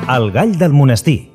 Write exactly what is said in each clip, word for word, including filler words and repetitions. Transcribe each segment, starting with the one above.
El gall del monestir.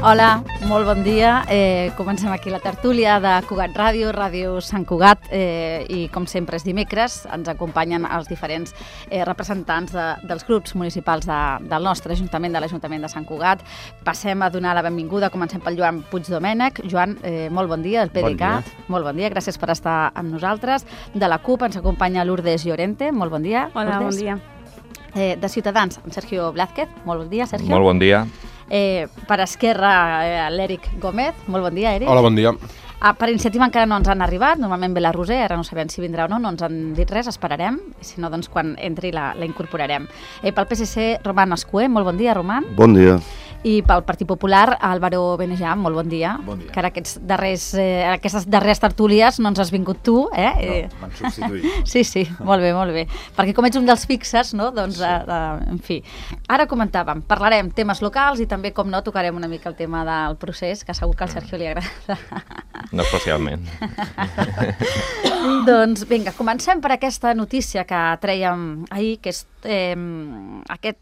Hola, molt bon dia. Eh, comencem aquí la tertúlia de Cugat Ràdio, Ràdio Sant Cugat, eh, i com sempre és dimecres, ens acompanyen els diferents eh, representants de, dels grups municipals de, del nostre Ajuntament, de l'Ajuntament de Sant Cugat. Passem a donar la benvinguda, comencem pel Joan Puigdomènech. Joan, eh, molt bon dia, del P D C A T. Bon dia. Molt bon dia, gràcies per estar amb nosaltres. De la CUP ens acompanya Lourdes Llorente, molt bon dia. Hola, Lourdes. bon dia. Eh, de Ciutadans, amb Sergio Blázquez, molt bon dia, Sergio. Molt bon dia. Eh, per Esquerra, eh, l'Eric Gómez. Molt bon dia, Eric. Hola, bon dia. Ah, per Iniciativa encara no ens han arribat, normalment ve la Roser, ara no sabem si vindrà o no, no ens han dit res, esperarem, si no, doncs quan entri la, la incorporarem. Eh, pel P S C, Roman Escué, molt bon dia, Roman. Bon dia. I pel Partit Popular, Álvaro Benejam, molt bon dia. Bon dia. Que ara aquests darrers, eh, aquestes darreres tertúlies no ens has vingut tu, eh? No, m'han substituït. Sí, sí, molt bé, molt bé. Perquè com ets un dels fixes, no? Doncs, sí. eh, eh, en fi. Ara comentàvem, parlarem temes locals i també, com no, tocarem una mica el tema del procés, que segur que al Sergio li agrada. No especialment. Doncs vinga, comencem per aquesta notícia que trèiem ahir, que és eh, aquest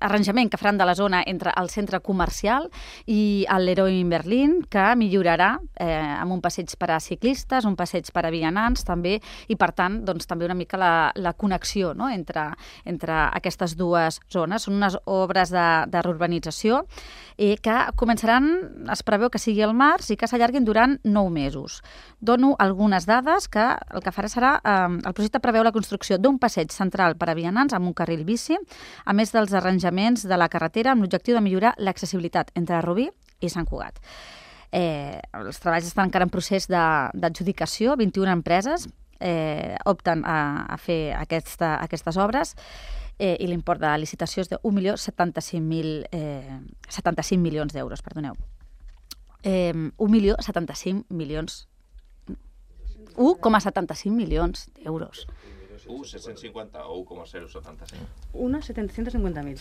arranjament que faran de la zona entre el centre comercial i el Leroy Merlin, que millorarà eh, amb un passeig per a ciclistes, un passeig per a vianants també, i per tant doncs, també una mica la, la connexió, no? entre, entre aquestes dues zones. Són unes obres de, de reurbanització eh, que començaran, es preveu que sigui al març i que s'allarguin durant nou mesos. Dono algunes dades que el que farà serà, eh, el projecte preveu la construcció d'un passeig central per a vianants amb un carril bici, a més dels arranjaments de la carretera amb l'objectiu de millorar l'accessibilitat entre Rubí i Sant Cugat. Eh, els treballs estan encara en procés d'adjudicació, vint-i-una empreses eh, opten a, a fer aquesta, aquestes obres eh, i l'import de licitació és de un milió setanta-cinc mil eh, setanta-cinc milions d'euros, perdoneu. Eh, un milió setanta-cinc milions un coma setanta-cinc milions d'euros. un set-cents cinquanta o un coma zero setanta-cinc? uno setecientos cincuenta mil.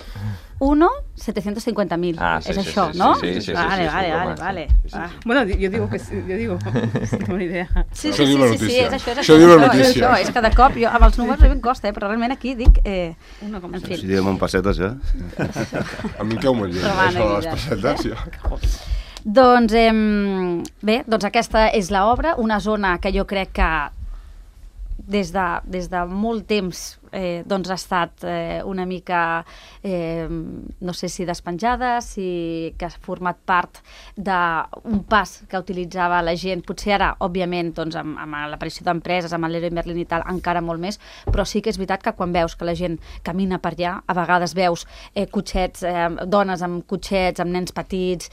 uno setecientos cincuenta mil. Ah, sí, és sí, això, sí, no? sí, sí, sí, vale, sí, sí, vale, sí, vale, sí, vale. sí, sí, Ah. sí. Bueno, yo digo que sí, yo digo, no tengo ni idea. Sí, Això sí, diu la sí, sí, sí, notícia. és això, és Això això. diu la és notícia. això, és que de cop, jo amb els números em costa, eh, però realment aquí dic... Eh, Uno com en fi. Si diem en pessetes, ja. A mi em cau molt lleig, Romana, això de les Guilla. pessetes, ja. Doncs, eh, bé, doncs aquesta és l'obra, una zona que jo crec que des de, des de molt temps eh, doncs ha estat eh, una mica, eh, no sé si despenjada, si que ha format part d'un pas que utilitzava la gent, potser ara, òbviament, doncs, amb, amb l'aparició d'empreses, amb el Leroy Merlin i tal, encara molt més, però sí que és veritat que quan veus que la gent camina per allà, a vegades veus eh, cotxets, eh, dones amb cotxets, amb nens petits.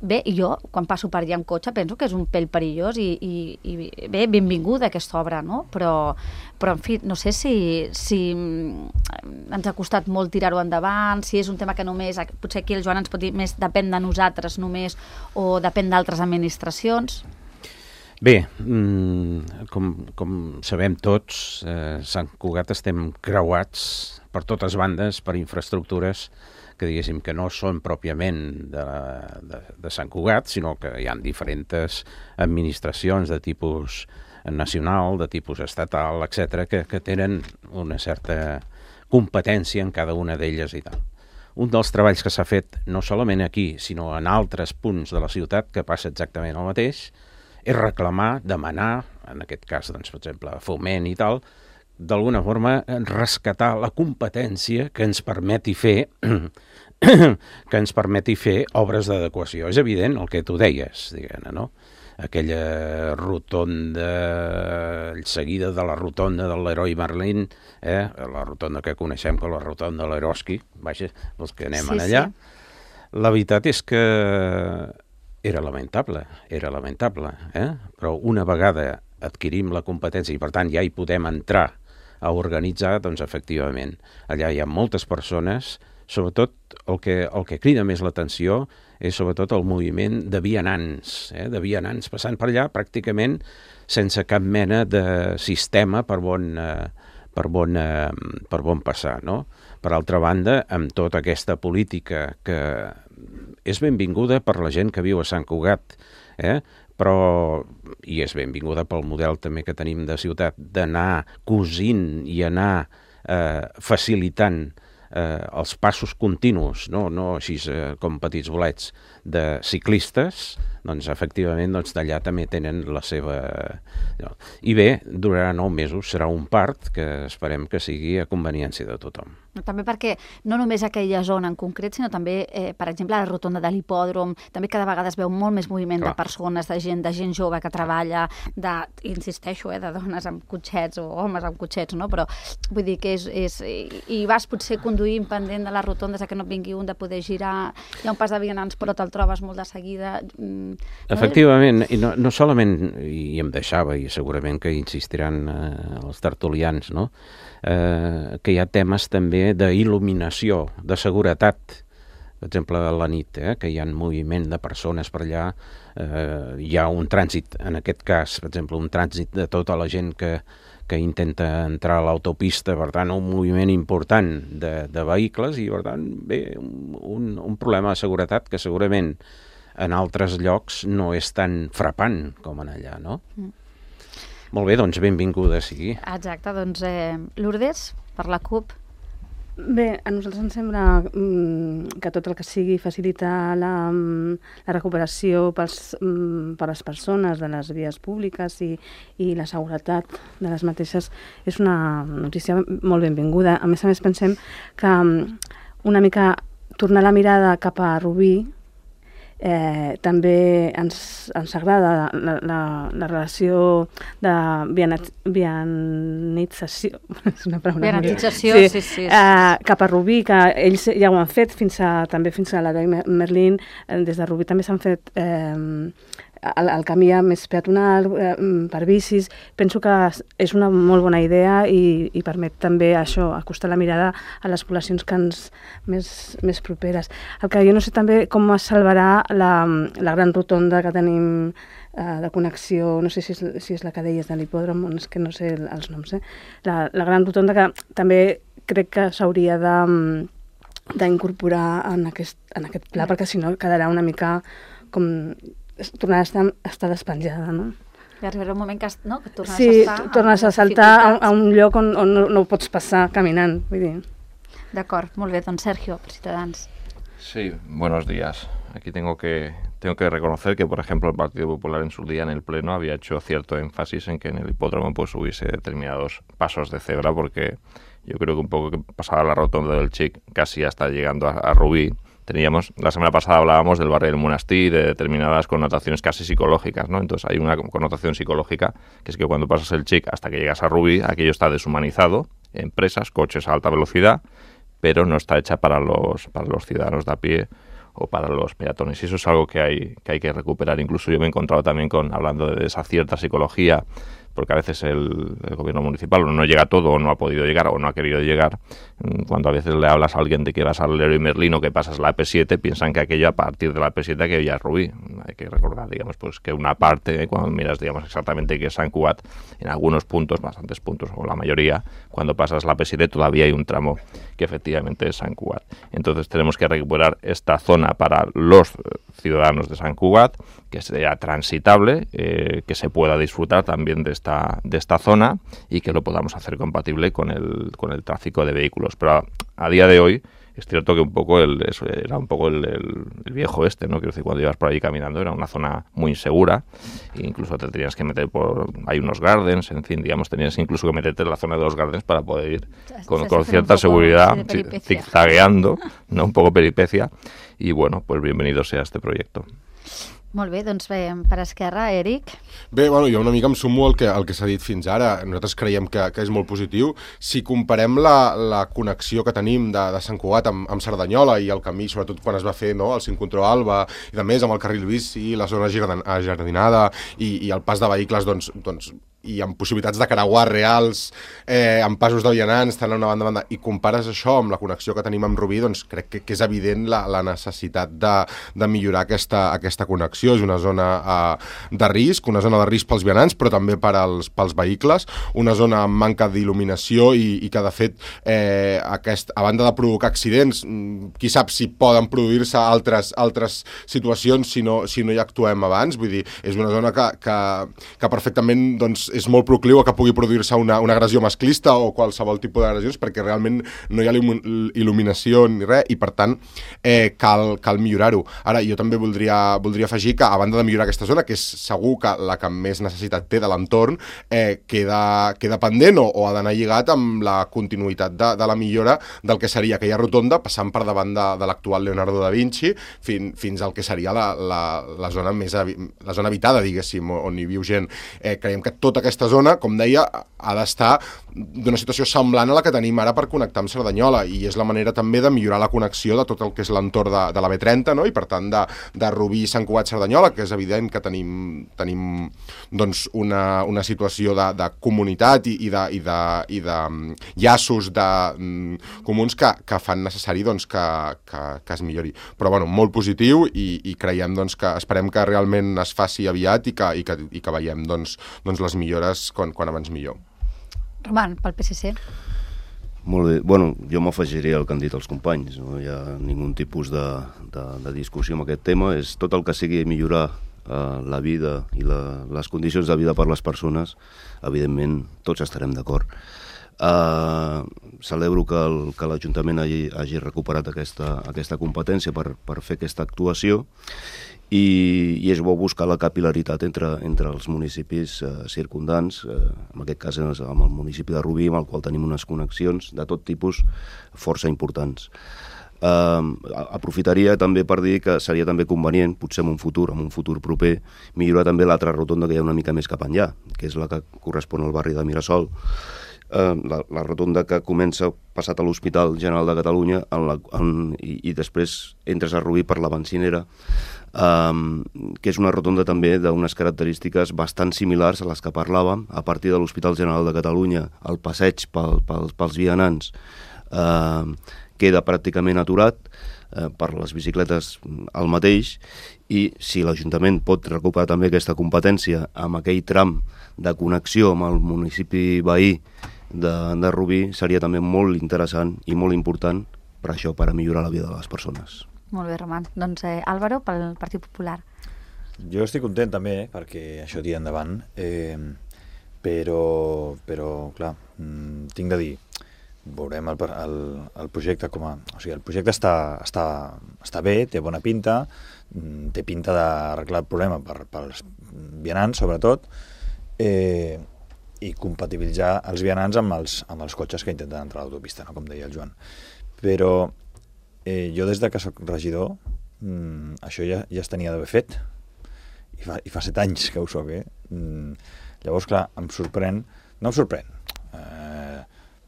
Bé, jo, quan passo per allà amb cotxe, penso que és un pèl perillós i, i, i bé, benvinguda aquesta obra, no? Però, però en fi, no sé si, si ens ha costat molt tirar-ho endavant, si és un tema que només, potser aquí el Joan ens pot dir més depèn de nosaltres només o depèn d'altres administracions. Bé, mm, com, com sabem tots, eh, Sant Cugat estem creuats per totes bandes per infraestructures que diguéssim que no són pròpiament de, de, de Sant Cugat, sinó que hi ha diferents administracions de tipus nacional, de tipus estatal, etcètera, que, que tenen una certa competència en cada una d'elles i tal. Un dels treballs que s'ha fet, no solament aquí, sinó en altres punts de la ciutat, que passa exactament el mateix, és reclamar, demanar, en aquest cas, doncs, per exemple, Foment i tal, d'alguna forma rescatar la competència que ens permeti fer que ens permeti fer obres d'adequació. És evident el que tu deies, diguem-ne, no? Aquella rotonda seguida de la rotonda del Leroy Merlin, eh? La rotonda que coneixem com la rotonda de l'Eroski, vaja, els que anem sí, allà. Sí. La veritat és que era lamentable, era lamentable, eh? Però una vegada adquirim la competència i per tant ja hi podem entrar a organitzar, doncs efectivament, allà hi ha moltes persones, sobretot el que, el que crida més l'atenció és sobretot el moviment de vianants, eh? de vianants passant per allà pràcticament sense cap mena de sistema per on, eh, per on, eh, per on passar, no? Per altra banda, amb tota aquesta política que és benvinguda per la gent que viu a Sant Cugat, eh? Però, i és benvinguda pel model també que tenim de ciutat, d'anar cosint i anar eh, facilitant eh, els passos continus, no, no així eh, com petits bolets de ciclistes, doncs efectivament doncs, d'allà també tenen la seva... No. I bé, durarà nou mesos, serà un part que esperem que sigui a conveniència de tothom. També perquè no només aquella zona en concret, sinó també, eh, per exemple, la rotonda de l'hipòdrom, també cada vegada es veu molt més moviment Clar. de persones, de gent, de gent jove que treballa, de, insisteixo, eh, de dones amb cotxets o homes amb cotxets, no? Però vull dir que és... és i, i vas potser conduint pendent de les rotondes que no vingui un de poder girar, hi ha un pas de vianants però te'l trobes molt de seguida. No? Efectivament, i no, no solament, i em deixava, i segurament que insistiran eh, els tertulians, no? Eh, que hi ha temes també d'il·luminació, de seguretat, per exemple a la nit, eh, que hi ha moviment de persones per allà, eh, hi ha un trànsit, en aquest cas, per exemple, un trànsit de tota la gent que, que intenta entrar a l'autopista, per tant, un moviment important de, de vehicles i, per tant, bé, un, un problema de seguretat que segurament en altres llocs no és tan frapant com en allà, no? Mm. Molt bé, doncs benvinguda sigui. Exacte, doncs eh, Lourdes, per la CUP. Bé, a nosaltres ens sembla mm, que tot el que sigui facilitar la, la recuperació pels, mm, per les persones de les vies públiques i, i la seguretat de les mateixes és una notícia molt benvinguda. A més a més, pensem que una mica tornar la mirada cap a Rubí Eh, també ens, ens agrada la, la, la relació de vianat, vianització, és una paraula vianització, sí, sí, sí. Eh, cap a Rubí, que ells ja ho han fet fins a, també fins a l'Heroi Merlín, eh, des de Rubí també s'han fet eh, el, el camí més peatonal eh, per bicis. Penso que és una molt bona idea i, i permet també això, acostar la mirada a les poblacions que ens, més, més properes. El que jo no sé també com es salvarà la, la gran rotonda que tenim eh, de connexió, no sé si és, si és la que deies de l'hipòdrom, és que no sé els noms, eh? La, la gran rotonda que també crec que s'hauria de d'incorporar en aquest, en aquest pla, perquè si no quedarà una mica com tornar a estar, a estar despenjada, no? I arribarà un moment que, no, que tornes sí, a estar... Sí, tornes a saltar a, a un lloc on, on no, no pots passar caminant, vull dir. D'acord, molt bé, doncs Sergio, per Ciutadans. Sí, buenos días. Aquí tengo que, tengo que reconocer que, por ejemplo, el Partido Popular en su día en el Pleno había hecho cierto énfasis en que en el hipódromo pues hubiese determinados pasos de cebra, porque yo creo que un poco que pasaba la rotonda del Chic, casi hasta llegando a, a Rubí, teníamos, la semana pasada hablábamos del barrio del Monestir, de determinadas connotaciones casi psicológicas, ¿no? Entonces hay una connotación psicológica que es que cuando pasas el Chic hasta que llegas a Rubí, aquello está deshumanizado, empresas, coches a alta velocidad, pero no está hecha para los, para los ciudadanos de a pie o para los peatones. Y eso es algo que hay, que hay que recuperar. Incluso yo me he encontrado también con, hablando de esa cierta psicología, porque a veces el, el gobierno municipal no llega a todo, o no ha podido llegar, o no ha querido llegar. Cuando a veces le hablas a alguien de que vas al Leroy Merlin o que pasas la A P siete, piensan que aquello a partir de la A P siete que ya es Rubí. Hay que recordar, digamos, pues que una parte, cuando miras, digamos, exactamente que es Sant Cugat, en algunos puntos, bastantes puntos, o la mayoría, cuando pasas la A P siete todavía hay un tramo que efectivamente es Sant Cugat. Entonces tenemos que recuperar esta zona para los ciudadanos de Sant Cugat, que sea transitable, eh, que se pueda disfrutar también de esta, de esta zona y que lo podamos hacer compatible con el, con el tráfico de vehículos. Pero a, a día de hoy es cierto que un poco el, eso era un poco el, el, el viejo este, ¿no? Quiero decir, cuando ibas por ahí caminando era una zona muy insegura, e incluso te tenías que meter por, hay unos gardens, en fin, digamos, tenías incluso que meterte en la zona de los gardens para poder ir con, con cierta seguridad, sí, zigzagueando, ¿no? Un poco peripecia, y bueno, pues bienvenido sea este proyecto. Molt bé, doncs bé, per esquerra, Eric. Bé, bueno, jo una mica em sumo al que, al que s'ha dit fins ara. Nosaltres creiem que, que és molt positiu. Si comparem la, la connexió que tenim de, de Sant Cugat amb, amb Cerdanyola i el camí, sobretot quan es va fer no, el Cincontró Alba i de més amb el carril bici, la zona ajardinada i, i el pas de vehicles, doncs, doncs i amb possibilitats de creuar reals, eh, amb passos de vianants, tant a una banda a banda, i compares això amb la connexió que tenim amb Rubí, doncs crec que, que és evident la, la necessitat de, de millorar aquesta, aquesta connexió. És una zona eh, de risc, una zona de risc pels vianants, però també per als, pels vehicles, una zona amb manca d'il·luminació i, i que, de fet, eh, aquest, a banda de provocar accidents, qui sap si poden produir-se altres, altres situacions si no, si no hi actuem abans. Vull dir, és una zona que, que, que perfectament doncs, és molt procliu a que pugui produir-se una, una agressió masclista o qualsevol tipus d'agressions, perquè realment no hi ha il·luminació ni res, i per tant eh, cal, cal millorar-ho. Ara, jo també voldria, voldria afegir que, a banda de millorar aquesta zona, que és segur que la que més necessitat té de l'entorn, eh, queda, queda pendent o, o ha d'anar lligat amb la continuïtat de, de la millora del que seria aquella rotonda, passant per davant de, de l'actual Leonardo da Vinci fin, fins al que seria la, la, la zona més la zona habitada, diguéssim, on hi viu gent. Eh, creiem que tota aquesta zona, com deia, ha d'estar d'una situació semblant a la que tenim ara per connectar amb Cerdanyola, i és la manera també de millorar la connexió de tot el que és l'entorn de, de la B trenta, no? I per tant de, de Rubí, Sant Cugat, Cerdanyola, que és evident que tenim, tenim doncs una, una situació de, de comunitat i, i, de, i, de, i de llaços de, um, comuns que, que fan necessari doncs, que, que, que es millori. Però bueno, molt positiu, i, i creiem doncs, que esperem que realment es faci aviat i que, i que, i que veiem doncs, doncs les millores quan, quan abans millor. Roman, pel P S C. Molt bé. Bueno, jo m'afegiré al que han dit els companys. No hi ha ningú tipus de, de, de discussió amb aquest tema. És tot el que sigui millorar eh, la vida i la, les condicions de vida per les persones, evidentment tots estarem d'acord. Uh, celebro que, el, que l'Ajuntament hagi, hagi recuperat aquesta, aquesta competència per, per fer aquesta actuació, i, i és bo buscar la capil·laritat entre, entre els municipis eh, circundants, eh, en aquest cas amb el municipi de Rubí, amb el qual tenim unes connexions de tot tipus força importants. Eh, aprofitaria també per dir que seria també convenient, potser en un futur, en un futur proper, millorar també l'altra rotonda que hi ha una mica més cap enllà, que és la que correspon al barri de Mirasol. Uh, la, la rotonda que comença passat a l'Hospital General de Catalunya en la, en, i, i després entres a Rubí per la Bencinera, um, que és una rotonda també d'unes característiques bastant similars a les que parlàvem. A partir de l'Hospital General de Catalunya, el passeig pel, pel, pels vianants uh, queda pràcticament aturat, uh, per les bicicletes el mateix, i si l'Ajuntament pot recuperar també aquesta competència amb aquell tram de connexió amb el municipi veí de, de Rubí, seria també molt interessant i molt important per això, per a millorar la vida de les persones. Molt bé, Roman. Doncs eh, Álvaro, pel Partit Popular. Jo estic content també, perquè això tira endavant, eh, però, però clar, mm, tinc de dir, veurem el, el, el projecte com a... O sigui, el projecte està, està, està bé, té bona pinta, té pinta d'arreglar el problema per, pels vianants, sobretot, eh, i compatibilitzar els vianants amb els, amb els cotxes que intenten entrar a l'autopista, no? Com deia el Joan. Però eh, jo des de que soc regidor, mm, això ja, ja es tenia d'haver fet, i fa, i fa set anys que ho soc, eh? Mm, llavors, clar, em sorprèn, no em sorprèn, eh,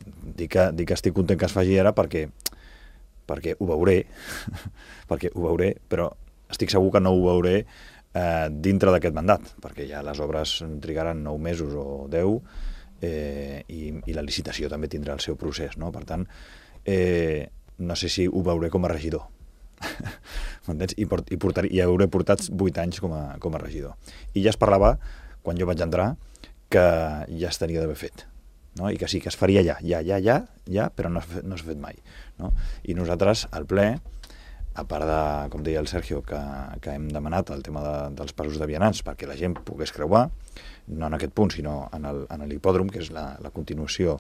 dic, que, dic que estic content que es faci ara perquè, perquè ho veuré, perquè ho veuré, però estic segur que no ho veuré eh, dintre d'aquest mandat, perquè ja les obres trigaran nou mesos o deu, eh, i, i la licitació també tindrà el seu procés, no? Per tant, eh, no sé si ho veuré com a regidor. M'entens? I, port, i, portar, i hauré portat vuit anys com a, com a regidor. I ja es parlava, quan jo vaig entrar, que ja es tenia d'haver fet. No? I que sí, que es faria ja, ja, ja, ja, ja, però no s'ha no fet mai. No? I nosaltres, al ple, a part de, com deia el Sergio, que, que hem demanat el tema de, dels passos de vianants perquè la gent pogués creuar, no en aquest punt, sinó en el, en l'hipòdrom, que és la, la continuació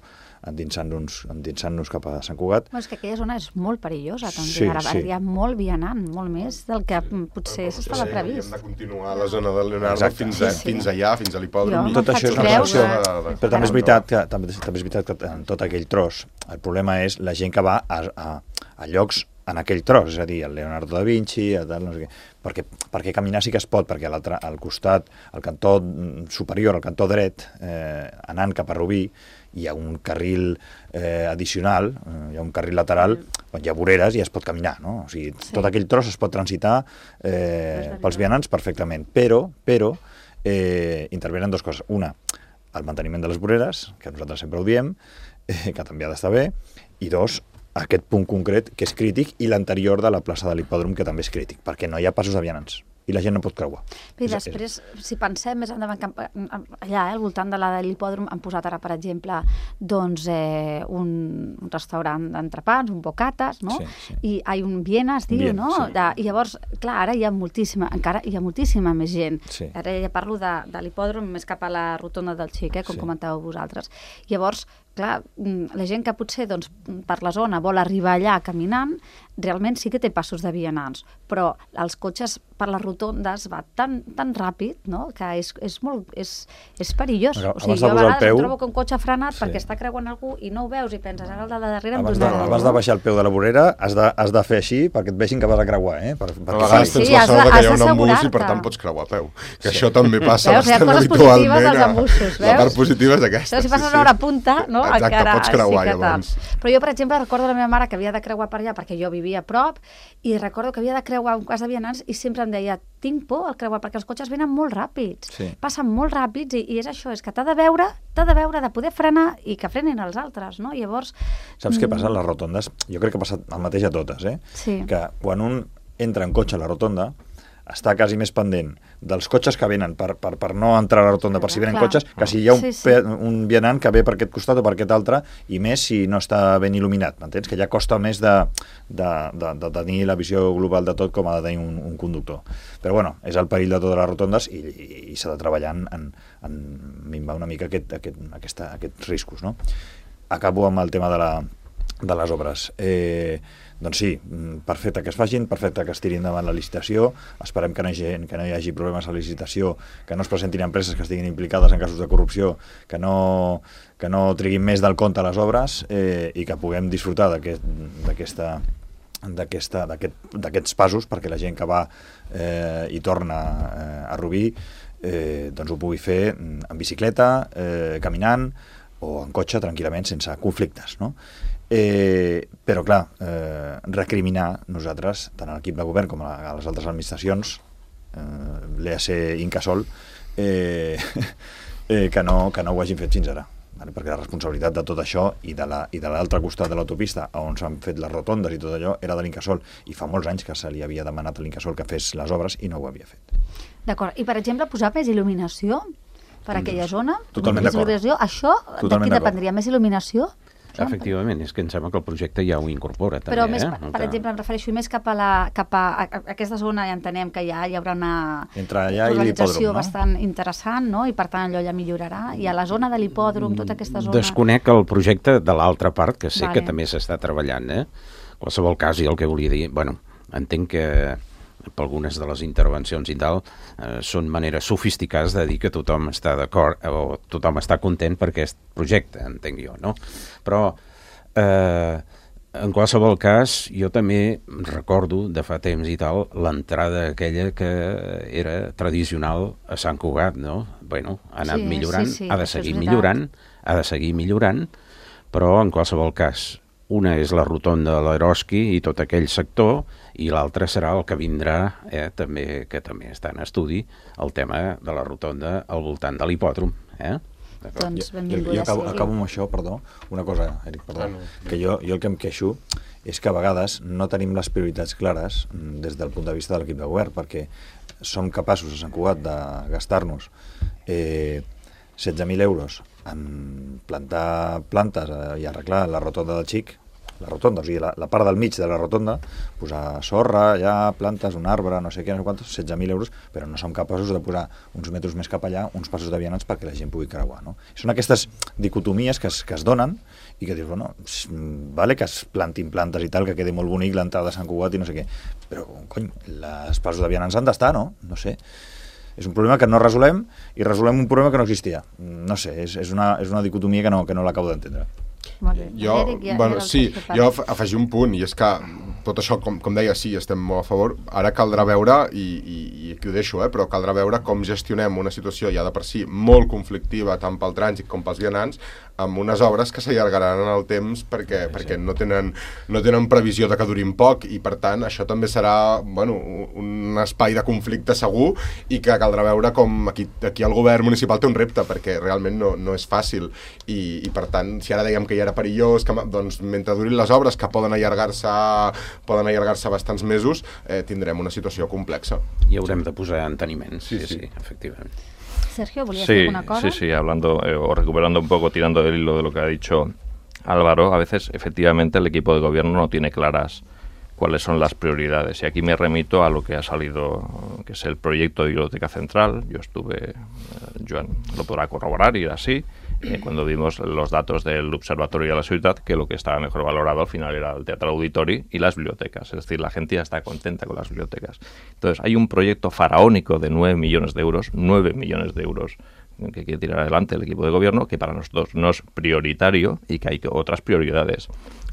endinsant-nos endinsant cap a Sant Cugat. Bueno, és que aquella zona és molt perillosa, també. Sí, Ara sí. hi ha molt vianant, molt més del que potser s'estava previst. Hem de continuar a la zona de Leonardo fins, a, Sí, sí. fins allà, fins a l'hipòdrom. Jo Tot això és una creus, reflexió. eh? Però també és veritat que, també, també és veritat que en tot aquell tros el problema és la gent que va a, a, a llocs en aquell tros, és a dir, el Leonardo da Vinci, el tal, no sé què, perquè, perquè caminar sí que es pot, perquè a l'altre, al costat, al cantó superior, al cantó dret, eh, anant cap a Rubí, hi ha un carril eh, addicional, eh, hi ha un carril lateral, on hi ha voreres i es pot caminar, no? O sigui, sí. Tot aquell tros es pot transitar eh, pels vianants perfectament, però, però eh, intervenen dues coses. Una, el manteniment de les voreres, que nosaltres sempre ho diem, eh, que també ha d'estar bé, i dos, aquest punt concret, que és crític, i l'anterior de la plaça de l'hipòdrom, que també és crític, perquè no hi ha passos de vianants i la gent no pot creuar. I després, si pensem més endavant, allà, eh, al voltant de la de l'hipòdrom, han posat ara, per exemple, doncs, eh, un, un restaurant d'entrepans, un bocates, no? Sí, sí. I hi ha un Viena, es diu, Viena, no? Sí. De, I llavors, clar, ara hi ha moltíssima, encara hi ha moltíssima més gent. Sí. Ara ja parlo de, de l'hipòdrom més cap a la rotonda del Xic, eh, com sí. comentàveu vosaltres. Llavors, clar, la gent que potser doncs, per la zona vol arribar allà caminant, realment sí que té passos de vianants, però els cotxes per les rotondes va tan, tan ràpid, no?, que és, és, molt, és, és perillós. Però, o sigui, jo a vegades peu... em trobo que un cotxe ha frenat sí. perquè està creuant algú i no ho veus i penses, ara el de darrere em abans, de, abans de baixar el peu de la vorera has de, has de fer així perquè et vegin que vas a creuar, eh? Per, per a vegades sí, tens sí, la sort que hi ha un embús i per tant pots creuar a peu. Que sí. Això també passa veus, bastant habitualment. A... Embussos, la part positiva és aquesta. Si passes a hora punta, no? Exacte, encara, pots creuar sí llavors. Però jo, per exemple, recordo la meva mare que havia de creuar per allà perquè jo vivia a prop i recordo que havia de creuar un cas de vianants i sempre em deia, tinc por al creuar perquè els cotxes venen molt ràpids, sí. passen molt ràpids i, i és això, és que t'ha de veure, t'ha de veure, de poder frenar i que frenin els altres, no? Llavors... Saps què passa a les rotondes? Jo crec que ha passat el mateix a totes, eh? Sí. Que quan un entra en cotxe a la rotonda està quasi més pendent dels cotxes que venen per, per, per no entrar a la rotonda per si venen Clar. Cotxes, que si hi ha un, sí, sí. un vianant que ve per aquest costat o per aquest altre, i més si no està ben il·luminat, m'entens? Que ja costa més de, de, de, de tenir la visió global de tot com ha de tenir un, un conductor. Però bueno, és el perill de totes les rotondes i, i, i s'ha de treballar en, en, en minvar una mica aquest, aquest, aquesta, aquests riscos, no? Acabo amb el tema de, la, de les obres. Eh, Doncs sí, perfecte que es facin, perfecte que es tirin endavant la licitació, esperem que no, hi hagi, que no hi hagi problemes a la licitació, que no es presentin empreses que estiguin implicades en casos de corrupció, que no, que no triguin més del compte a les obres eh, i que puguem disfrutar d'aquesta d'aquesta d'aquests passos perquè la gent que va eh, i torna eh, a Rubí eh, doncs ho pugui fer en bicicleta, eh, caminant o en cotxe tranquil·lament sense conflictes, no? Eh, però clar, eh, recriminar nosaltres, tant a l'equip de govern com a, a les altres administracions, eh, l'E A C Incasòl, eh, eh, que, no, que no ho hagin fet fins ara, vale? Perquè la responsabilitat de tot això i de l'altre costat de l'autopista on s'han fet les rotondes i tot allò era de l'Incasòl i fa molts anys que se li havia demanat a l'Incasòl que fes les obres i no ho havia fet. D'acord, i per exemple posar més il·luminació per aquella zona? Totalment d'acord. Això d'aquí dependria, més il·luminació? Efectivament, és que em sembla que el projecte ja ho incorpora també. Però més, eh? per, per exemple, em refereixo més cap a, la, cap a, a aquesta zona, ja entenem que ja hi haurà una urbanització no? bastant interessant, no? I per tant allò ja millorarà. I a la zona de l'hipòdrom, tota aquesta zona... Desconec el projecte de l'altra part, que sé vale. que també s'està treballant, eh? En qualsevol cas, i el que volia dir, bueno, entenc que per algunes de les intervencions i tal, eh, són maneres sofisticades de dir que tothom està d'acord o tothom està content per aquest projecte, entenc jo, no? Però, eh, en qualsevol cas, jo també recordo, de fa temps i tal, l'entrada aquella que era tradicional a Sant Cugat, no? Bueno, ha anat sí, millorant, sí, sí, ha de seguir millorant, ha de seguir millorant, però en qualsevol cas, una és la rotonda de l'Eroski i tot aquell sector, i l'altre serà el que vindrà, eh, també, que també està en estudi, el tema de la rotonda al voltant de l'hipòdrom. Eh? Doncs benvinguda. Jo, jo acabo, acabo amb això, perdó, una cosa, Eric, perdó, ah, no. que jo, jo el que em queixo és que a vegades no tenim les prioritats clares des del punt de vista de l'equip de govern, perquè som capaços a Sant Cugat de gastar-nos eh, setze mil euros en plantar plantes i arreglar la rotonda del Xic, la rotonda, o sigui, la, la part del mig de la rotonda, posar sorra, ja, plantes, un arbre, no sé què, no sé quantos, setze mil euros, però no som capaços de posar uns metres més cap allà, uns passos de vianants perquè la gent pugui creuar, no? Són aquestes dicotomies que es, que es donen i que dius, bueno, vale que es plantin plantes i tal, que quedi molt bonic l'entrada de Sant Cugat i no sé què, però, cony, les passos de vianants han d'estar, no? No sé. És un problema que no resolem i resolem un problema que no existia. No sé, és, és, una, és una dicotomia que no, que no l'acabo d'entendre. Molt bé. Jo, Eric, ja, bueno, sí, jo afegir un punt, i és que tot això, com, com deia, sí, estem molt a favor. Ara caldrà veure, i, i, i aquí ho deixo, eh, però caldrà veure com gestionem una situació ja de per si molt conflictiva tant pel trànsit com pels vianants, amb unes obres que s'allargaran en el temps perquè, sí, perquè sí. No, tenen, no tenen previsió de que durin poc, i per tant això també serà, bueno, un espai de conflicte segur, i que caldrà veure com aquí, aquí el govern municipal té un repte, perquè realment no, no és fàcil, i, i per tant, si ara dèiem que ja era perillós, que, doncs mentre durin les obres, que poden allargar-se poden allargar-se bastants mesos, eh, tindrem una situació complexa. I haurem de posar enteniments, sí, sí, sí, efectivament. Sergio, ¿volías sí, decir alguna cosa? Sí, sí, hablando eh, o recuperando un poco, tirando del hilo de lo que ha dicho Álvaro, a veces efectivamente el equipo de gobierno no tiene claras cuáles son las prioridades. Y aquí me remito a lo que ha salido, que es el proyecto de Biblioteca Central. Yo estuve, eh, Joan lo podrá corroborar, y era así, eh, cuando vimos los datos del Observatorio de la Ciudad, que lo que estaba mejor valorado al final era el Teatro Auditori y las bibliotecas. Es decir, la gente ya está contenta con las bibliotecas. Entonces, hay un proyecto faraónico de nueve millones de euros, nueve millones de euros, que quiere tirar adelante el equipo de gobierno, que para nosotros no es prioritario y que hay otras prioridades.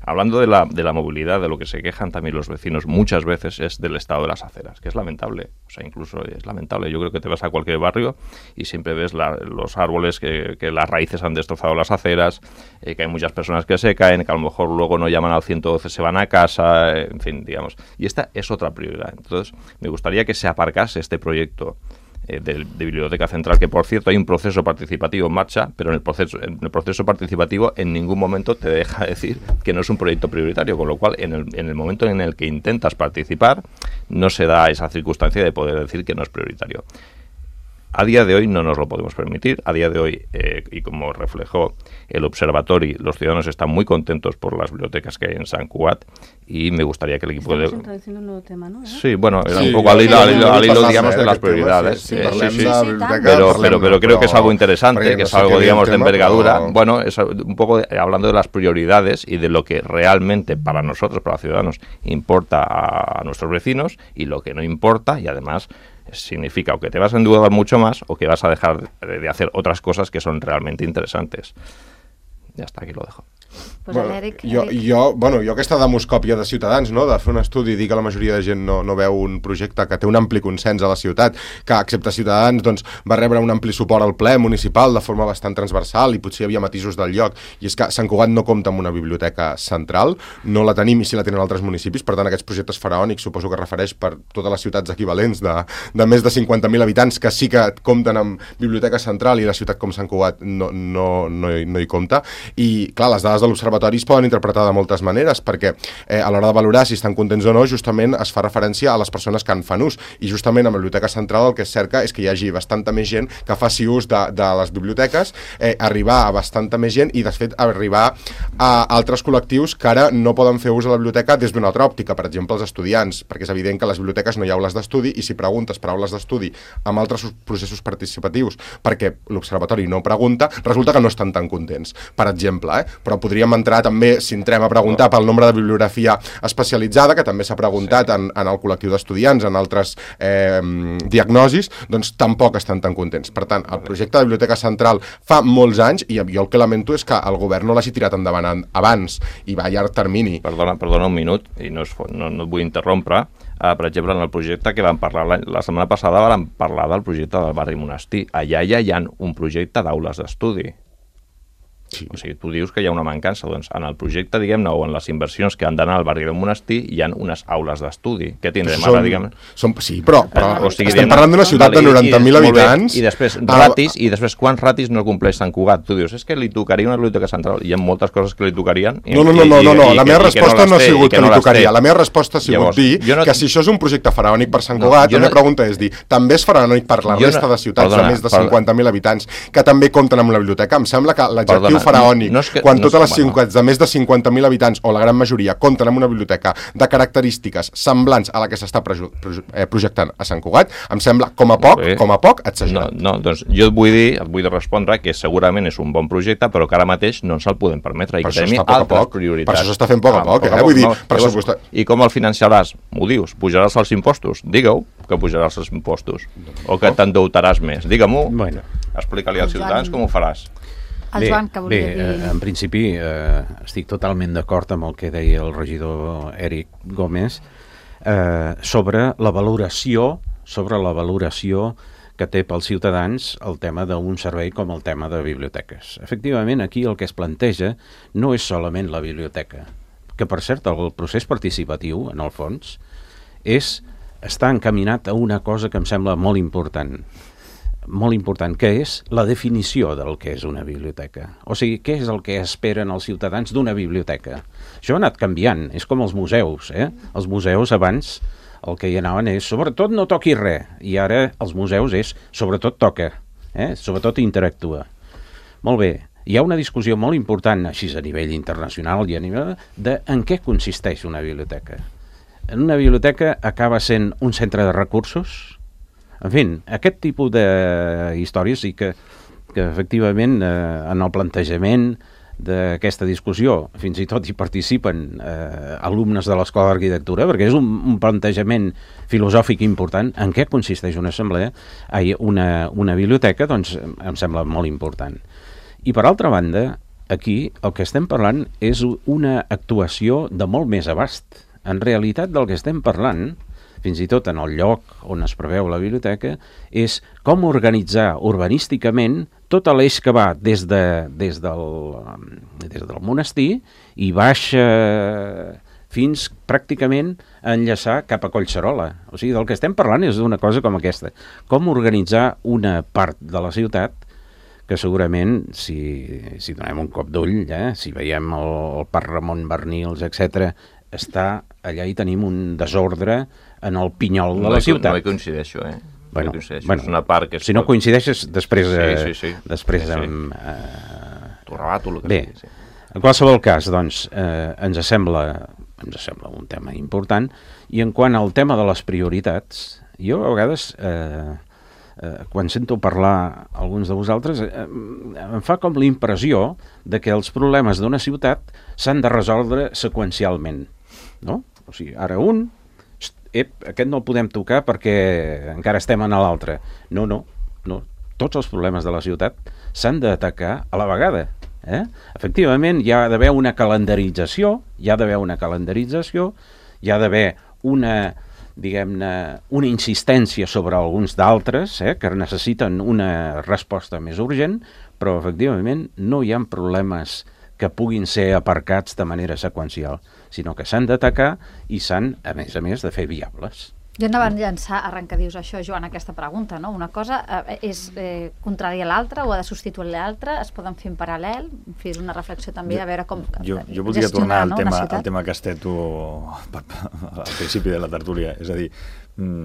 Hablando de la, de la movilidad, de lo que se quejan también los vecinos muchas veces es del estado de las aceras, que es lamentable. O sea, incluso es lamentable. Yo creo que te vas a cualquier barrio y siempre ves la, los árboles que, que las raíces han destrozado las aceras, eh, que hay muchas personas que se caen, que a lo mejor luego no llaman al ciento doce, se van a casa, eh, en fin, digamos. Y esta es otra prioridad. Entonces, me gustaría que se aparcase este proyecto De, de Biblioteca Central, que por cierto hay un proceso participativo en marcha, pero en el proceso, en el proceso participativo en ningún momento te deja decir que no es un proyecto prioritario, con lo cual en el, en el momento en el que intentas participar no se da esa circunstancia de poder decir que no es prioritario. A día de hoy no nos lo podemos permitir. A día de hoy, eh, y como reflejó el Observatori, los ciudadanos están muy contentos por las bibliotecas que hay en Sant Cugat, y me gustaría que el equipo Estamos de... introduciendo un nuevo tema, ¿no? Sí, bueno, era sí, un poco al hilo, al hilo, al hilo sí, digamos, sí, de las tema, prioridades. Sí, sí, eh, parlem sí, de sí. biblioteca, Pero, parlem, pero, pero creo que es algo interesante, que es algo, digamos, de envergadura. Però... Bueno, es un poco de, hablando de las prioridades y de lo que realmente para nosotros, para los ciudadanos, importa a, a nuestros vecinos, y lo que no importa, y además significa o que te vas a endeudar mucho más o que vas a dejar de, de hacer otras cosas que son realmente interesantes. Ja està, aquí lo dejo. Pues bueno, Eric, jo, Eric. jo, bueno, jo aquesta demoscòpia de Ciutadans, no?, de fer un estudi i dir que la majoria de gent no, no veu un projecte que té un ampli consens a la ciutat, que excepte Ciutadans doncs, va rebre un ampli suport al ple municipal de forma bastant transversal, i potser hi havia matisos del lloc, i és que Sant Cugat no compta amb una biblioteca central, no la tenim, i sí la tenen altres municipis. Per tant, aquests projectes faraònics suposo que refereix per totes les ciutats equivalents de, de més de cinquanta mil habitants que sí que compten amb biblioteca central, i la ciutat com Sant Cugat no, no, no, hi, no hi compta. I clar, les dades de l'Observatori es poden interpretar de moltes maneres, perquè eh, a l'hora de valorar si estan contents o no, justament es fa referència a les persones que en fan ús, i justament a la Biblioteca Central el que es cerca és que hi hagi bastanta més gent que faci ús de, de les biblioteques, eh, arribar a bastanta més gent, i de fet arribar a altres col·lectius que ara no poden fer ús de la biblioteca des d'una altra òptica, per exemple els estudiants, perquè és evident que a les biblioteques no hi ha aules d'estudi, i si preguntes per aules d'estudi amb altres processos participatius perquè l'Observatori no pregunta, resulta que no estan tan contents, per exemple, eh? Però podríem entrar també, si entrem a preguntar pel nombre de bibliografia especialitzada, que també s'ha preguntat en, en el col·lectiu d'estudiants, en altres eh, diagnosis, doncs tampoc estan tan contents. Per tant, el projecte de Biblioteca Central fa molts anys, i jo el que lamento és que el govern no l'hagi tirat endavant abans, i va a llarg termini. Perdona, perdona un minut, i no, és, no, no et vull interrompre. Uh, per exemple, en el projecte que vam parlar la, la setmana passada, vam parlar del projecte del barri Monestir. Allà ja hi ha un projecte d'aules d'estudi. Sí. O sigui, tu dius que hi ha una mancança, doncs en el projecte, diguem-ne, o en les inversions que han d'anar al barri del Monestir, hi ha unes aules d'estudi. Què tindrem són, ara, diguem-ne? Són, sí, però, però o sigui, estem parlant d'una ciutat vale, de noranta mil habitants. I després ratis, i després quants ratis no compleix Sant Cugat? Tu dius, és que li tocaria una biblioteca central. Hi ha moltes coses que li tocarien. I, no, no, no, no, i, no, no. I, la meva i, resposta no no ha sigut que, que no li tocaria. té. La meva resposta ha sigut Llavors, dir no, que si això és un projecte faraònic per Sant Cugat, no, la meva no, pregunta és dir, també és faraònic per la resta no, de ciutats perdona, de més de cinquanta mil habitants que també compten amb la biblioteca? Em sembla que l'adjectiu faraònic, no, no que, quan no totes les ciutats de més de cinquanta mil habitants, o la gran majoria, compten amb una biblioteca de característiques semblants a la que s'està projectant a Sant Cugat, em sembla, com a poc, com a poc, exagerat. No, no, doncs jo et vull dir, et vull respondre que segurament és un bon projecte, però que ara mateix no ens el podem permetre, i que tenim altres prioritats. Per això s'està fent poc a poc, eh? Vull dir, pressupostar... I com el finançaràs? M'ho dius, pujaràs els impostos? Digue-ho, que pujaràs els impostos. O que t'endeutaràs més? Digue-m'ho, explica-li als ciutadans com ho faràs. El bé, Joan, que volia bé, dir... eh, en principi eh, estic totalment d'acord amb el que deia el regidor Eric Gómez eh, sobre la valoració sobre la valoració que té pels ciutadans el tema d'un servei com el tema de biblioteques. Efectivament, aquí el que es planteja no és solament la biblioteca, que per cert el procés participatiu, en el fons, és estar encaminat a una cosa que em sembla molt important, molt important, que és la definició del que és una biblioteca. O sigui, què és el que esperen els ciutadans d'una biblioteca? Això ha anat canviant, és com els museus, eh? Els museus abans el que hi anaven és, sobretot no toqui res, i ara els museus és, sobretot toca, eh? Sobretot interactua. Molt bé, hi ha una discussió molt important, així a nivell internacional i a nivell de en què consisteix una biblioteca. En una biblioteca acaba sent un centre de recursos. En fi, aquest tipus de històries i que, que efectivament eh, en el plantejament d'aquesta discussió fins i tot hi participen eh, alumnes de l'Escola d'Arquitectura, perquè és un, un plantejament filosòfic important. En què consisteix una assemblea, ai, una, una biblioteca, doncs em sembla molt important. I per altra banda, aquí el que estem parlant és una actuació de molt més abast. En realitat del que estem parlant, fins i tot en el lloc on es preveu la biblioteca, és com organitzar urbanísticament tot l'eix que va des, de, des, del, des del monestir i baixa fins pràcticament a enllaçar cap a Collserola. O sigui, del que estem parlant és d'una cosa com aquesta. Com organitzar una part de la ciutat que segurament, si, si donem un cop d'ull, eh, si veiem el, el Parc Ramon Barnils, etcètera, està allà i tenim un desordre en el pinyol de no la hi, ciutat. No hi coincideixo, eh? Bueno, no hi coincideixo. bueno, és una part que... si no coincideixes, després... Sí, eh, sí, sí. Després sí, sí. amb... Eh... Tu rebato el que Bé, sigui, sí. En qualsevol cas, doncs, eh, ens sembla, ens sembla un tema important, i en quant al tema de les prioritats, jo a vegades... Eh, Eh, quan sento parlar alguns de vosaltres, eh, em fa com la impressió de que els problemes d'una ciutat s'han de resoldre seqüencialment, no? O sigui, ara un, ep, aquest no el podem tocar perquè encara estem en l'altre. No, no, no. Tots els problemes de la ciutat s'han d'atacar a la vegada. Eh? Efectivament, hi ha d'haver una calendarització, hi ha d'haver una calendarització, hi ha d'haver una... diguem-ne, una insistència sobre alguns d'altres, eh, que necessiten una resposta més urgent, però efectivament no hi ha problemes que puguin ser aparcats de manera seqüencial, sinó que s'han d'atacar i s'han, a més a més, de fer viables. Jo anava a llançar arrencadius això, Joan, aquesta pregunta, no? Una cosa eh, és eh, contrària a l'altra o ha de substituir l'altra, es poden fer en paral·lel, en fi, és una reflexió també a veure com jo, jo voldria tornar al, no, tema, al tema que has tret tu al principi de la tertúlia, és a dir,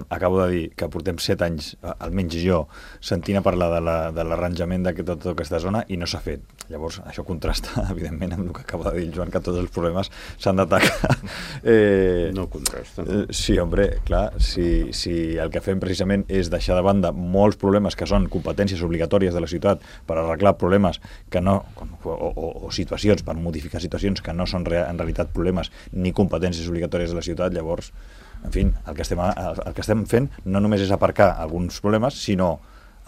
acabo de dir que portem set anys, almenys jo, sentint a parlar de l'arranjament la, de tota aquesta zona i no s'ha fet. Llavors, això contrasta, evidentment, amb el que acaba de dir el Joan, que tots els problemes s'han d'atacar. Eh, no contrasta. No? Eh, sí, hombre, clar, si, si el que fem precisament és deixar de banda molts problemes que són competències obligatòries de la ciutat per arreglar problemes que no, o, o, o situacions, per modificar situacions que no són en realitat problemes ni competències obligatòries de la ciutat, llavors en fi, el que, estem, el que estem fent no només és aparcar alguns problemes, sinó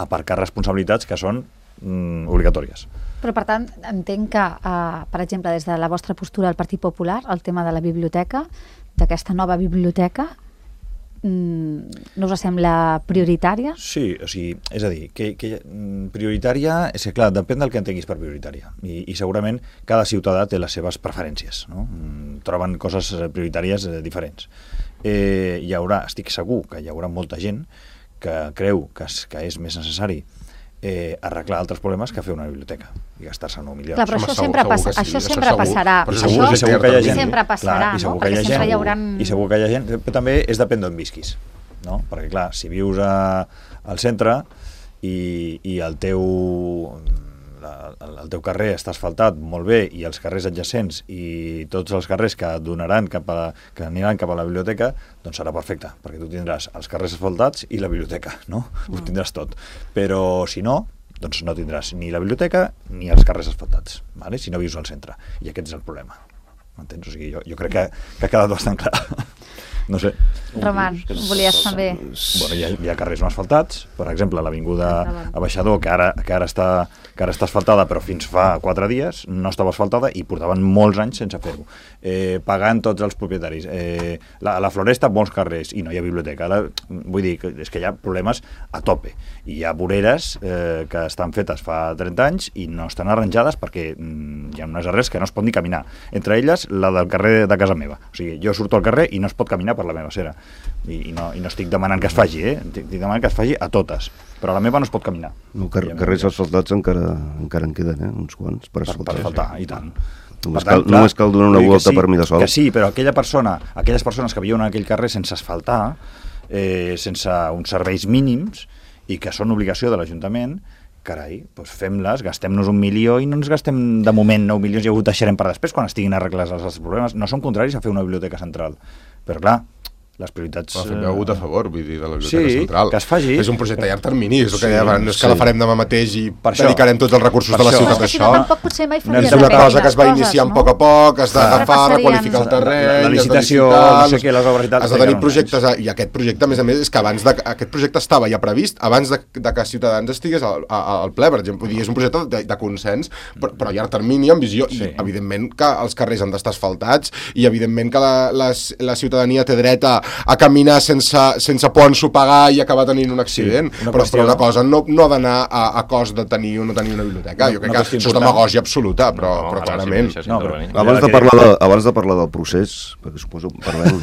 aparcar responsabilitats que són mm, obligatòries. Però, per tant, entenc que, eh, per exemple, des de la vostra postura del Partit Popular, el tema de la biblioteca, d'aquesta nova biblioteca, mm, no us sembla prioritària? Sí, o sigui, és a dir, que, que prioritària, és que, clar, depèn del que entenguis per prioritària. I, i segurament cada ciutadà té les seves preferències, no? Troben coses prioritàries eh, diferents. Eh, hi haurà, estic segur que hi haurà molta gent que creu que és, que és més necessari eh, arreglar altres problemes que fer una biblioteca i gastar-se nou milions. Clar, però Home, això segur, sempre, segur passa, que sí, això això sempre segur, passarà. però Això segur, segur que hi ha gent. sempre passarà, clar, no? I segur Perquè que hi ha sempre gent, hi haurà... I segur que hi ha gent, però també és depèn d'on visquis, no? Perquè, clar, si vius a, al centre i, i el teu... La, el teu carrer està asfaltat molt bé i els carrers adjacents i tots els carrers que donaran cap a, que aniran cap a la biblioteca, doncs serà perfecte, perquè tu tindràs els carrers asfaltats i la biblioteca, no? Mm. Ho tindràs tot. Però si no, doncs no tindràs ni la biblioteca ni els carrers asfaltats, vale? Si no vius al centre. I aquest és el problema. M'entens? O sigui, jo, jo crec que, que ha quedat bastant clar. no sé. Roman, volies també... Bueno, hi ha, hi ha carrers no asfaltats, per exemple, l'avinguda Abaixador, que ara, que, ara està, que ara està asfaltada, però fins fa quatre dies no estava asfaltada i portaven molts anys sense fer-ho. Eh, pagant tots els propietaris. Eh, la, la Floresta, molts carrers, i no hi ha biblioteca. La, vull dir, que és que hi ha problemes a tope. I hi ha voreres eh, que estan fetes fa trenta anys i no estan arranjades perquè mm, hi ha unes arrels que no es pot ni caminar. Entre elles, la del carrer de casa meva. O sigui, jo surto al carrer i no es pot caminar per la meva acera. I, i, no, i no estic demanant que es faci, eh? Estic demanant que es faci a totes, però a la meva no es pot caminar. No, car carrers asfaltats encara, encara en queden, eh? Uns quants per asfaltar. Per, per faltar, i tant. Només cal, només cal donar una volta sí, per Mirasol. Que sí, però aquella persona, aquelles persones que viuen en aquell carrer sense asfaltar, eh, sense uns serveis mínims, i que són obligació de l'Ajuntament, carai, doncs fem-les, gastem-nos un milió i no ens gastem de moment nou milions i ho deixarem per després quan estiguin arreglats els altres problemes. No som contraris a fer una biblioteca central, però clar, les prioritats... Però fem hagut a favor, vull dir, de la Biblioteca sí, Central. Que es faci. És un projecte a llarg termini, és el que sí, deia, no és que sí. la farem demà mateix i per dedicarem tots els recursos de la ciutat a això. Tampoc potser mai faria És una cosa que es va iniciar a poc a poc, has d'agafar, requalificar el terreny, la licitació, no sé què, les obres i tal. Has de tenir projectes, i aquest projecte, a més a més, és que abans de, aquest projecte estava ja previst, abans de, de que Ciutadans estigués al, al ple, per exemple, vull dir, és un projecte de, de consens, però, però a llarg termini, amb visió, sí. I evidentment que els carrers han d'estar asfaltats, i evidentment que la, la, la ciutadania té dret a, a caminar sense, sense por ensopegar i acabar tenint un accident, sí, una però, qüestió... però una cosa no, no ha d'anar a, a cost de tenir o no tenir una biblioteca. No, jo crec que això és demagògia absoluta, però, no, però clarament. Sí, no, però... Abans, de parlar de, abans de parlar del procés, perquè suposo que parlem...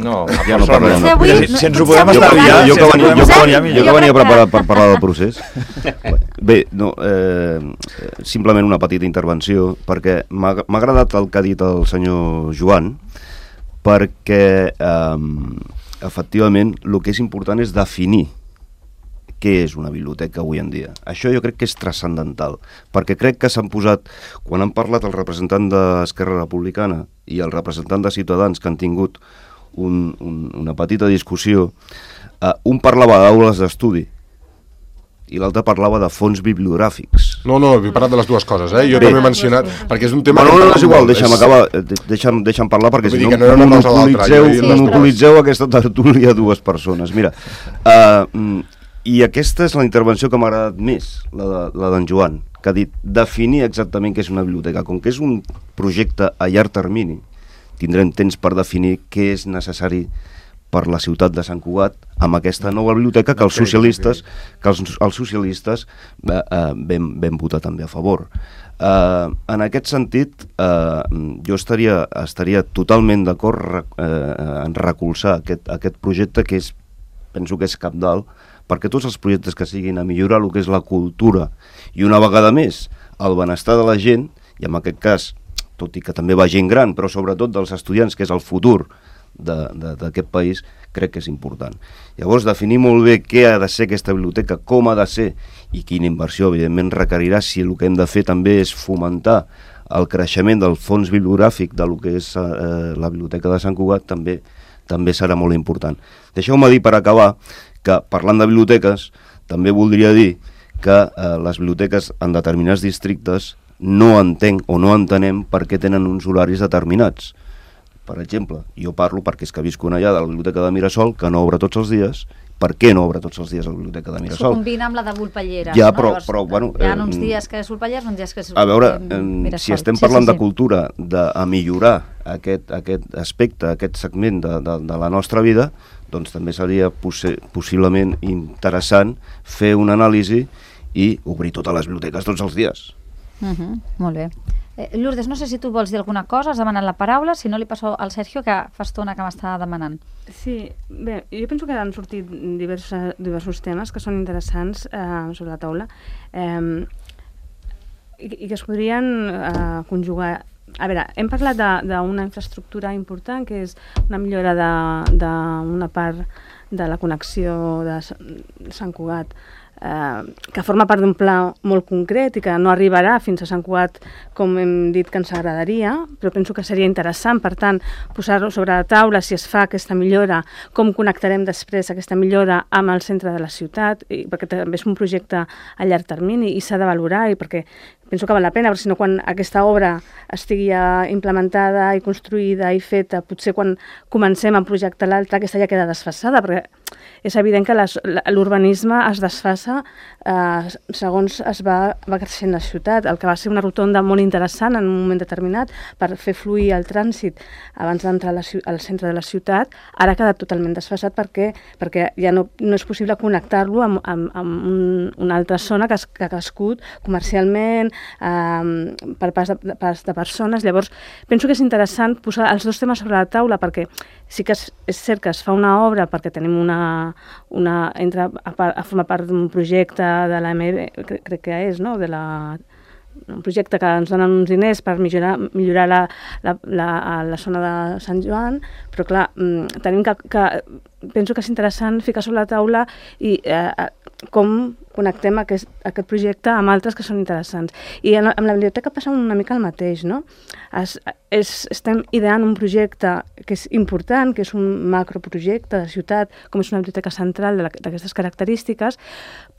No, ja no parlem. No. Si, si ens ho podem estalviar... Jo que venia, jo, jo, jo que venia preparat per parlar del procés. Bé, no, eh, simplement una petita intervenció, perquè m'ha agradat el que ha dit el senyor Joan, perquè... Eh, efectivament, el que és important és definir què és una biblioteca avui en dia. Això jo crec que és transcendental, perquè crec que s'han posat, quan han parlat el representant d'Esquerra Republicana i el representant de Ciutadans, que han tingut un, un, una petita discussió, eh, un parlava d'aules d'estudi i l'altre parlava de fons bibliogràfics. No, no, he parlat de les dues coses, eh? Jo Bé. també he mencionat, perquè és un tema... No, no, no, és igual, deixa'm és... acabar, deixa'm, deixa'm parlar, perquè si no, no monopolitzeu, sí, monopolitzeu aquesta tertúlia a dues persones. Mira, uh, i aquesta és la intervenció que m'ha agradat més, la d'en Joan, que ha dit definir exactament què és una biblioteca. Com que és un projecte a llarg termini, tindrem temps per definir què és necessari per la ciutat de Sant Cugat amb aquesta nova biblioteca que els socialistes que els, els socialistes eh, eh, vam, vam votar també a favor. Eh, en aquest sentit, eh, jo estaria, estaria totalment d'acord eh, en recolzar aquest, aquest projecte que és, penso que és cabdal, perquè tots els projectes que siguin a millorar el que és la cultura i una vegada més el benestar de la gent, i en aquest cas, tot i que també va gent gran, però sobretot dels estudiants, que és el futur d'aquest país, crec que és important. Llavors, definir molt bé què ha de ser aquesta biblioteca, com ha de ser i quina inversió, evidentment, requerirà si el que hem de fer també és fomentar el creixement del fons bibliogràfic de lo que és eh, la Biblioteca de Sant Cugat, també també serà molt important. Deixeu-me dir, per acabar, que parlant de biblioteques, també voldria dir que eh, les biblioteques en determinats districtes no entenc o no entenem per què tenen uns horaris determinats. Per exemple, jo parlo perquè és que visco allà de la Biblioteca de Mirasol, que no obre tots els dies. Per què no obre tots els dies la Biblioteca de Mirasol? S'ho combina amb la de Volpellera. Ja, no? però, Llavors, però, bueno... Hi ha uns dies que és Volpellera, uns dies que és A veure, Mirasol. Si estem parlant sí, sí, sí. de cultura, de a millorar aquest, aquest aspecte, aquest segment de, de, de la nostra vida, doncs també seria possi possiblement interessant fer una anàlisi i obrir totes les biblioteques tots els dies. Uh -huh, molt bé. Eh, Lourdes, no sé si tu vols dir alguna cosa, has demanat la paraula, si no li passo al Sergio, que fa estona que m'està demanant. Sí, bé, jo penso que han sortit diversos, diversos temes que són interessants eh, sobre la taula eh, i, i que es podrien eh, conjugar. A veure, hem parlat d'una infraestructura important, que és una millora d'una part de la connexió de Sant Cugat, eh, que forma part d'un pla molt concret i que no arribarà fins a Sant Cugat com hem dit que ens agradaria, però penso que seria interessant, per tant, posar-ho sobre la taula si es fa aquesta millora, com connectarem després aquesta millora amb el centre de la ciutat, i, perquè també és un projecte a llarg termini i s'ha de valorar, i perquè penso que val la pena, perquè si no, quan aquesta obra estigui ja implementada i construïda i feta, potser quan comencem a projectar l'altra, aquesta ja queda desfasada, perquè és evident que les, l'urbanisme es desfassa eh, segons es va, va creixent la ciutat. El que va ser una rotonda molt interessant en un moment determinat per fer fluir el trànsit abans d'entrar al centre de la ciutat, ara ha quedat totalment desfasat perquè, perquè ja no, no és possible connectar-lo amb, amb, amb un, una altra zona que, es, que ha crescut comercialment, eh, per pas de, pas de persones. Llavors, penso que és interessant posar els dos temes sobre la taula perquè sí que és, és cert que es fa una obra perquè tenim una una, entra a, a formar part d'un projecte de l'A M B, crec, crec que és, no? De la, un projecte que ens donen uns diners per millorar, millorar la, la, la, la zona de Sant Joan, però clar, tenim que, que penso que és interessant ficar sobre la taula i eh, com connectem aquest, aquest projecte amb altres que són interessants. I en, amb la biblioteca passa una mica el mateix, no? Es, és, estem ideant un projecte que és important, que és un macroprojecte de ciutat, com és una biblioteca central d'aquestes característiques,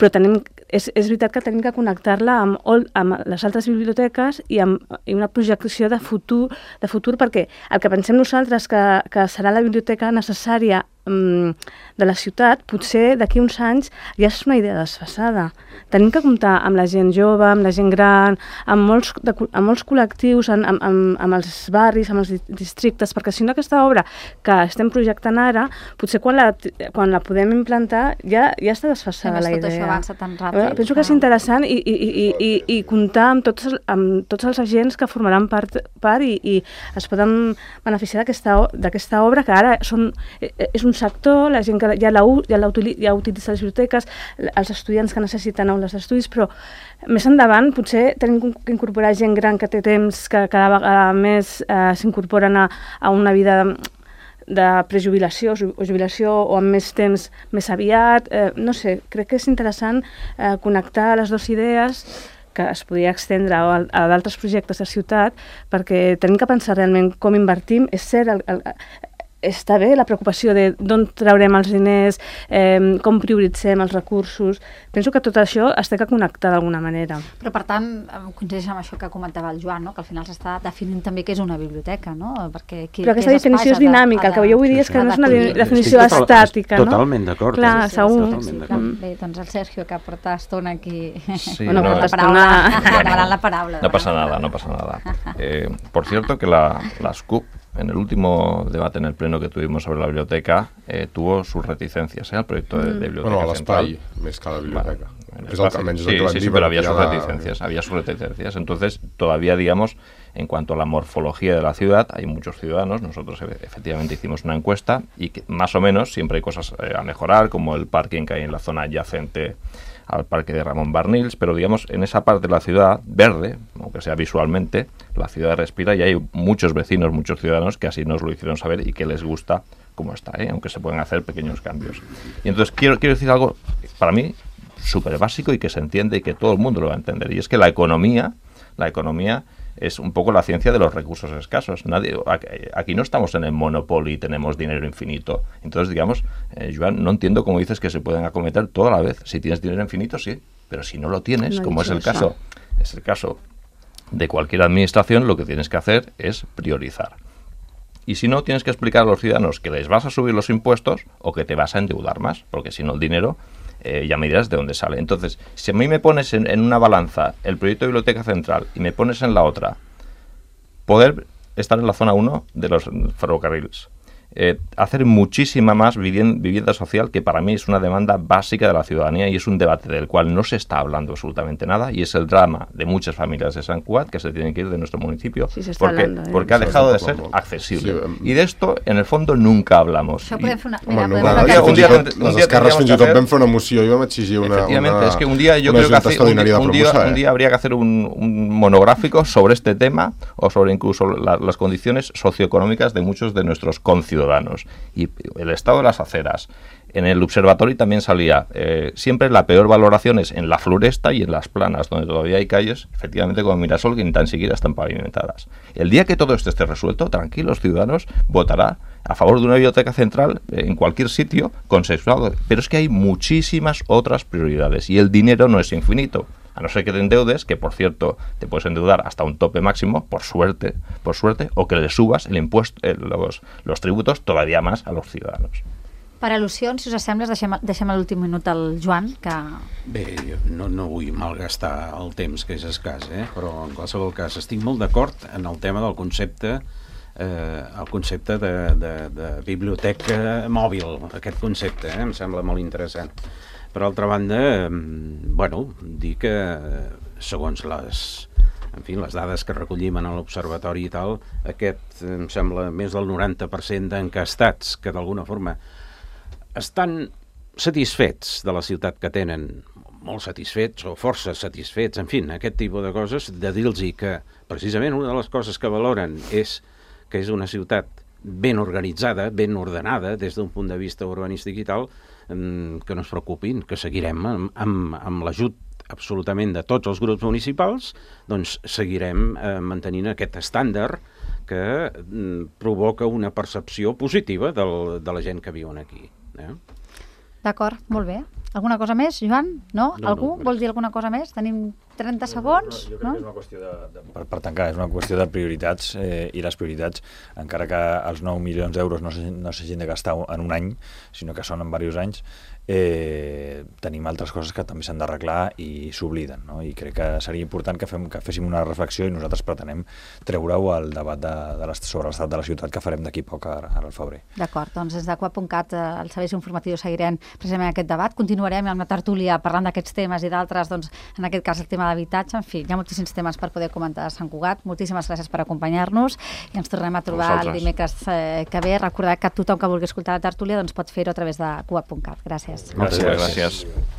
però tenim, és, és veritat que tenim que connectar-la amb, amb les altres biblioteques i amb i una projecció de futur, de futur, perquè el que pensem nosaltres que, que serà la biblioteca necessària de la ciutat, potser d'aquí uns anys ja és una idea desfasada. Tenim que comptar amb la gent jove, amb la gent gran, amb molts, de, amb molts col·lectius, amb, amb, amb els barris, amb els districtes, perquè si no aquesta obra que estem projectant ara, potser quan la, quan la podem implantar ja, ja està desfasada la idea. Tot això avança tan ràpid. Penso que és interessant i, i, i, i, i comptar amb tots, amb tots els agents que formaran part, part i, i es poden beneficiar d'aquesta obra que ara són, és un sector, la gent que ja, la, ja, la, ja utilitza les biblioteques, els estudiants que necessiten aules d'estudis, però més endavant potser tenim que incorporar gent gran que té temps, que cada vegada més eh, s'incorporen a, a una vida de, de prejubilació o jubilació o amb més temps més aviat. Eh, no sé, crec que és interessant eh, connectar les dues idees que es podria extendre a, a d'altres projectes de ciutat, perquè tenim que pensar realment com invertim. És cert, el, el, està bé la preocupació de d'on traurem els diners, eh, com prioritzem els recursos. Penso que tot això es té que connectar d'alguna manera. Però, per tant, coincideix amb això que comentava el Joan, no? Que al final s'està definint també què és una biblioteca, no? Perquè qui, però aquesta definició és dinàmica, el que jo vull dir és que no és una definició estàtica, no? Totalment d'acord. Clar, sí, sí, segur. Totalment d'acord. Bé, doncs el Sergio, que porta estona aquí Sí, bueno, no, la paraula, demanant la paraula. No pasa nada, no pasa nada. Eh, por cierto, que la, la S C U P, en el último debate en el pleno que tuvimos sobre la biblioteca, eh, tuvo sus reticencias ¿eh? al proyecto de, de biblioteca bueno, central. Bueno, l'espai, més que la biblioteca. Bueno, es el que almenys sí, el que sí, van sí, dir, pero había sus la... reticencias, había sus reticencias. Entonces, todavía, digamos, en cuanto a la morfología de la ciudad, hay muchos ciudadanos, nosotros efectivamente hicimos una encuesta y que, más o menos siempre hay cosas eh, a mejorar, como el parking que hay en la zona adyacente al parque de Ramón Barnils, pero digamos, en esa parte de la ciudad verde, aunque sea visualmente, la ciudad respira y hay muchos vecinos, muchos ciudadanos que así nos lo hicieron saber y que les gusta cómo está, ¿eh? Aunque se pueden hacer pequeños cambios. Y entonces quiero, quiero decir algo, para mí, súper básico y que se entiende y que todo el mundo lo va a entender, y es que la economía, la economía es un poco la ciencia de los recursos escasos. Nadie, aquí no estamos en el monopolio y tenemos dinero infinito. Entonces, digamos, eh, Joan, no entiendo cómo dices que se pueden acometer todo a la vez. Si tienes dinero infinito, sí, pero si no lo tienes, no como es el eso. caso, es el caso de cualquier administración, lo que tienes que hacer es priorizar. Y si no, tienes que explicar a los ciudadanos que les vas a subir los impuestos o que te vas a endeudar más, porque si no el dinero eh, ya me dirás de dónde sale. Entonces, si a mí me pones en, en una balanza el proyecto de Biblioteca Central y me pones en la otra poder estar en la zona uno de los ferrocarriles, eh, hacer muchísima más vivienda, vivienda social, que para mí es una demanda básica de la ciudadanía y es un debate del cual no se está hablando absolutamente nada, y es el drama de muchas familias de Sant Cugat que se tienen que ir de nuestro municipio sí, porque, hablando, ¿eh? porque ha dejado de ser accesible. Sí, um... Y de esto, en el fondo, nunca hablamos. Això podem fer una... Mira, Home, no, podem no, un dia, un dia, les esquerres fins i tot vam fer una moció i vam exigir una, efectivamente, una, es que un día yo creo que hace, un, día, un, día, un día habría que hacer un, un monográfico sobre este tema o sobre incluso la, las condiciones socioeconómicas de muchos de nuestros conciudadanos. Y el estado de las aceras. En el observatorio también salía, eh, siempre la peor valoración es en la Floresta y en las Planas, donde todavía hay calles, efectivamente, como Mirasol, que ni tan siquiera están pavimentadas. El día que todo esto esté resuelto, tranquilos ciudadanos, votará a favor de una biblioteca central eh, en cualquier sitio consensuado. Pero es que hay muchísimas otras prioridades y el dinero no es infinito. A no ser que te endeudes, que por cierto te puedes endeudar hasta un tope máximo, por suerte, por suerte, o que le subas el impuesto, eh, los, los tributos todavía más a los ciudadanos. Per al·lusions, si us sembla, deixem, deixem a l'últim minut el Joan, que... Bé, jo no, no vull malgastar el temps, que és escàs, eh? Però en qualsevol cas estic molt d'acord en el tema del concepte eh, el concepte de, de, de biblioteca mòbil, aquest concepte, eh? Em sembla molt interessant. Per altra banda, eh, bueno, dir que segons les, en fi, les dades que recollim en l'observatori i tal, aquest em sembla més del noranta per cent d'encastats que d'alguna forma estan satisfets de la ciutat que tenen, molt satisfets o força satisfets, en fi, aquest tipus de coses, de dir-los que precisament una de les coses que valoren és que és una ciutat ben organitzada, ben ordenada des d'un punt de vista urbanístic i tal, que no es preocupin, que seguirem amb, amb, amb l'ajut absolutament de tots els grups municipals, doncs seguirem eh, mantenint aquest estàndard que mm, provoca una percepció positiva del, de la gent que viuen aquí. Eh? D'acord, molt bé. Alguna cosa més, Joan? No? No, Algú no, vol dir alguna cosa més? Tenim trenta segons? Jo crec No? que és una qüestió de, de, per, per tancar, és una qüestió de prioritats eh, i les prioritats, encara que els nou milions d'euros no s'hagin no s'hagin de gastar en un any, sinó que són en diversos anys, eh, tenim altres coses que també s'han d'arreglar i s'obliden, no? I crec que seria important que, fem, que féssim una reflexió i nosaltres pretenem treure-ho al debat de, de sobre l'estat de la ciutat que farem d'aquí poc ara, ara al febrer. D'acord, doncs des de coap punt cat, eh, els serveis informatius seguirem precisament aquest debat. Continuarem amb la tertúlia parlant d'aquests temes i d'altres, doncs, en aquest cas el tema d'habitatge. En fi, hi ha moltíssims temes per poder comentar a Sant Cugat. Moltíssimes gràcies per acompanyar-nos i ens tornem a trobar el dimecres eh, que ve. Recordar que tothom que vulgui escoltar la tertúlia doncs pot fer-ho a través de coap punt cat. Gràcies. Moltes gràcies. gràcies.